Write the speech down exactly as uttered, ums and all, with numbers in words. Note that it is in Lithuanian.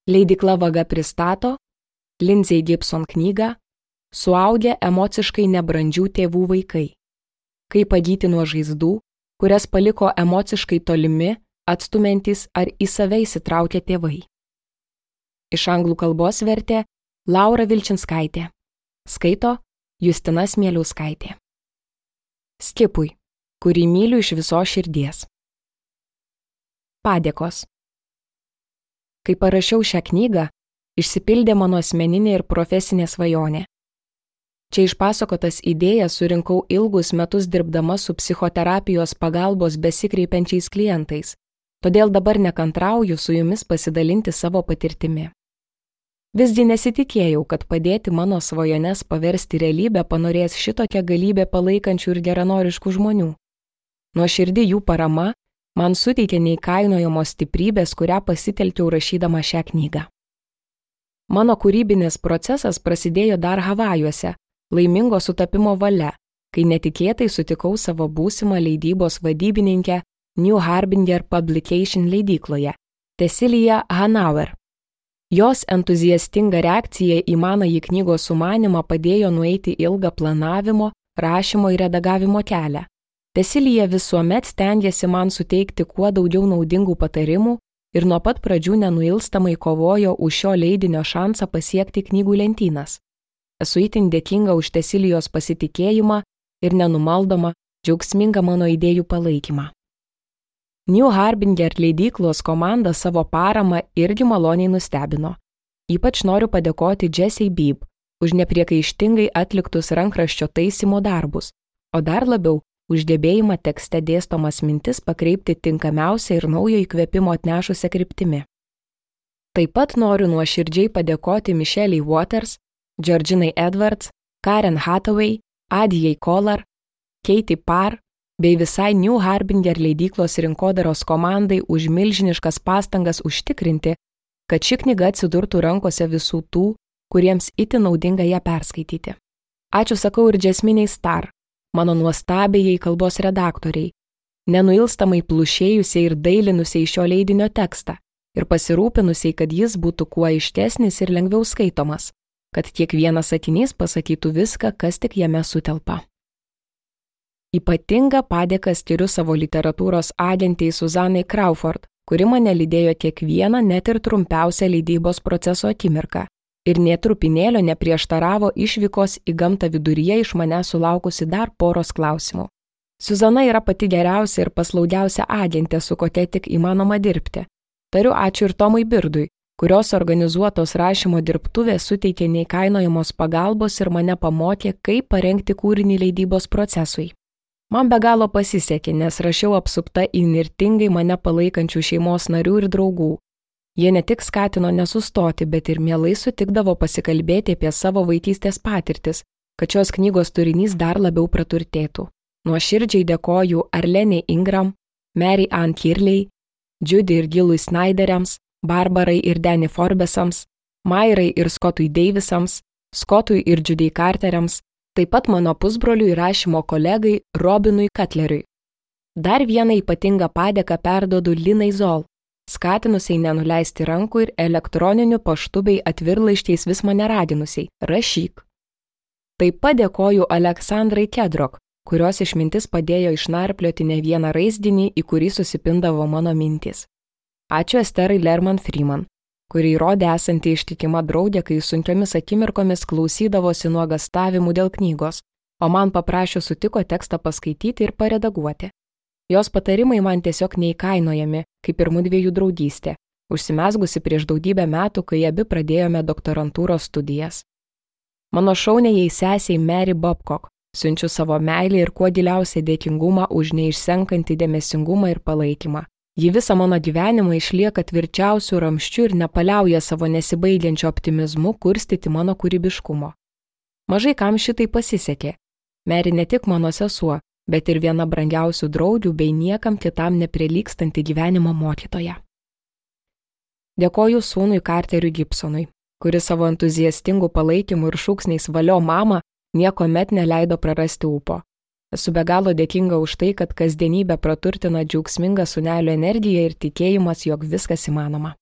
Leidykla Vaga pristato Lindsay Gibson knygą Suaugę emociškai nebrandžių tėvų vaikai. Kaip pagyti nuo žaizdų, kurias paliko emociškai tolimi, atstumiantys ar į save įsitraukę tėvai. Iš anglų kalbos vertė Laura Vilčinskaitė. Skaito Justina Smieliauskaitė. Skipui, kurį myliu iš visos širdies. Padėkos. Kai parašiau šią knygą, išsipildė mano asmeninė ir profesinė svajonė. Čia išpasakotas idėjas surinkau ilgus metus dirbdama su psichoterapijos pagalbos besikreipiančiais klientais, todėl dabar nekantrauju su jumis pasidalinti savo patirtimi. Visgi nesitikėjau, kad padėti mano svajones paversti realybę panorės šitokia galybė palaikančių ir geranoriškų žmonių. Nuoširdi jų parama man suteikė neįkainojamos stiprybės, kurią pasitelkiau rašydama šią knygą. Mano kūrybinis procesas prasidėjo dar Havajuose, laimingo sutapimo valia, kai netikėtai sutikau savo būsimą leidybos vadybininkę New Harbinger Publication leidykloje, Cecilia Hanauer. Jos entuziastinga reakcija į manąjį knygos sumanymą padėjo nueiti ilgą planavimo, rašymo ir redagavimo kelią. Cecilija visuomet stengiasi man suteikti kuo daugiau naudingų patarimų ir nuo pat pradžių nenuilstamai kovojo už šio leidinio šansą pasiekti knygų lentynas. Esu itin dėkinga už Cecilijos pasitikėjimą ir nenumaldomą, džiaugsmingą mano idėjų palaikymą. New Harbinger leidyklos komanda savo paramą irgi maloniai nustebino. Ypač noriu padėkoti Jessie Beeb už nepriekaištingai atliktus rankraščio taisymo darbus, o dar labiau už gebėjimą tekste dėstomas mintis pakreipti tinkamiausią ir naujo įkvėpimo atnešusią kryptimi. Taip pat noriu nuoširdžiai padėkoti Michelle Waters, Georginai Edwards, Karen Hathaway, Adijai Kolar, Katie Parr bei visai New Harbinger leidyklos rinkodaros komandai už milžiniškas pastangas užtikrinti, kad ši knyga atsidurtų rankose visų tų, kuriems itin naudinga ją perskaityti. Ačiū sakau ir Jasminei Star, mano nuostabiai kalbos redaktoriai, nenuilstamai plušėjusiai ir dailinusiai šio leidinio tekstą ir pasirūpinusiai, kad jis būtų kuo aiškesnis ir lengviau skaitomas, kad kiekvienas sakinys pasakytų viską, kas tik jame sutelpa. Ypatingą padėką skiriu savo literatūros agentei Suzanai Crawford, kuri mane lydėjo kiekvieną net ir trumpiausią leidybos proceso akimirką ir nė trupinėlio neprieštaravo išvykos į gamtą viduryje iš mane sulaukusi dar poros klausimų. Suzana yra pati geriausia ir paslaugiausia agentė, su kokia tik įmanoma dirbti. Tariu ačiū ir Tomui Birdui, kurios organizuotos rašymo dirbtuvės suteikė neįkainojamos pagalbos ir mane pamokė, kaip parengti kūrinį leidybos procesui. Man be galo pasisekė, nes rašiau apsupta įnirtingai mane palaikančių šeimos narių ir draugų. Jie ne tik skatino nesustoti, bet ir mielai sutikdavo pasikalbėti apie savo vaikystės patirtis, kad šios knygos turinys dar labiau praturtėtų. Nuoširdžiai dėkoju Arlenei Ingram, Mary Ann Kirley, Judy ir Gilui Snyderiams, Barbarai ir Danny Forbesams, Mairai ir Scottui Davisams, Scottui ir Judy Carteriams, taip pat mano pusbroliui rašymo kolegai Robinui Cutleriui. Dar vieną ypatingą padėką perduodu Linai Zoll, skatinusiai nenuleisti rankų ir elektroniniu paštu bei atvirlaiškiais vis mane raginusiai – rašyk. Taip pat dėkoju Aleksandrai Kedrok, kurios išmintis padėjo išnarplioti ne vieną raizdinį, į kurį susipindavo mano mintys. Ačiū Esterai Lerman Freeman, kuri įrodė esanti ištikima draugė, kai sunkiomis akimirkomis klausydavosi nuogastavimų dėl knygos, o man paprašė sutiko tekstą paskaityti ir paredaguoti. Jos patarimai man tiesiog neįkainojami, kaip ir mudviejų draugystė, užsimezgusi prieš daugybę metų, kai abi pradėjome doktorantūros studijas. Mano šauniajai sesiai Mary Babcock siunčiu savo meilę ir kuo giliausią dėkingumą už neišsenkantį dėmesingumą ir palaikymą. Ji visą mano gyvenimą išlieka tvirčiausių ramščių ir nepaliauja savo nesibaigiančio optimizmu kurstyti mano kūrybiškumo. Mažai kam šitai pasisekė. Mary ne tik mano sesuo, bet ir viena brangiausių draugių bei niekam kitam neprilygstanti gyvenimo mokytoja. Dėkoju sūnui Carteriui Gibsonui, kuris savo entuziastingų palaikymų ir šūksniais valio mamą niekuomet neleido prarasti ūpo. Esu be galo dėkinga už tai, kad kasdienybę praturtina džiaugsminga sūnelio energija ir tikėjimas, jog viskas įmanoma.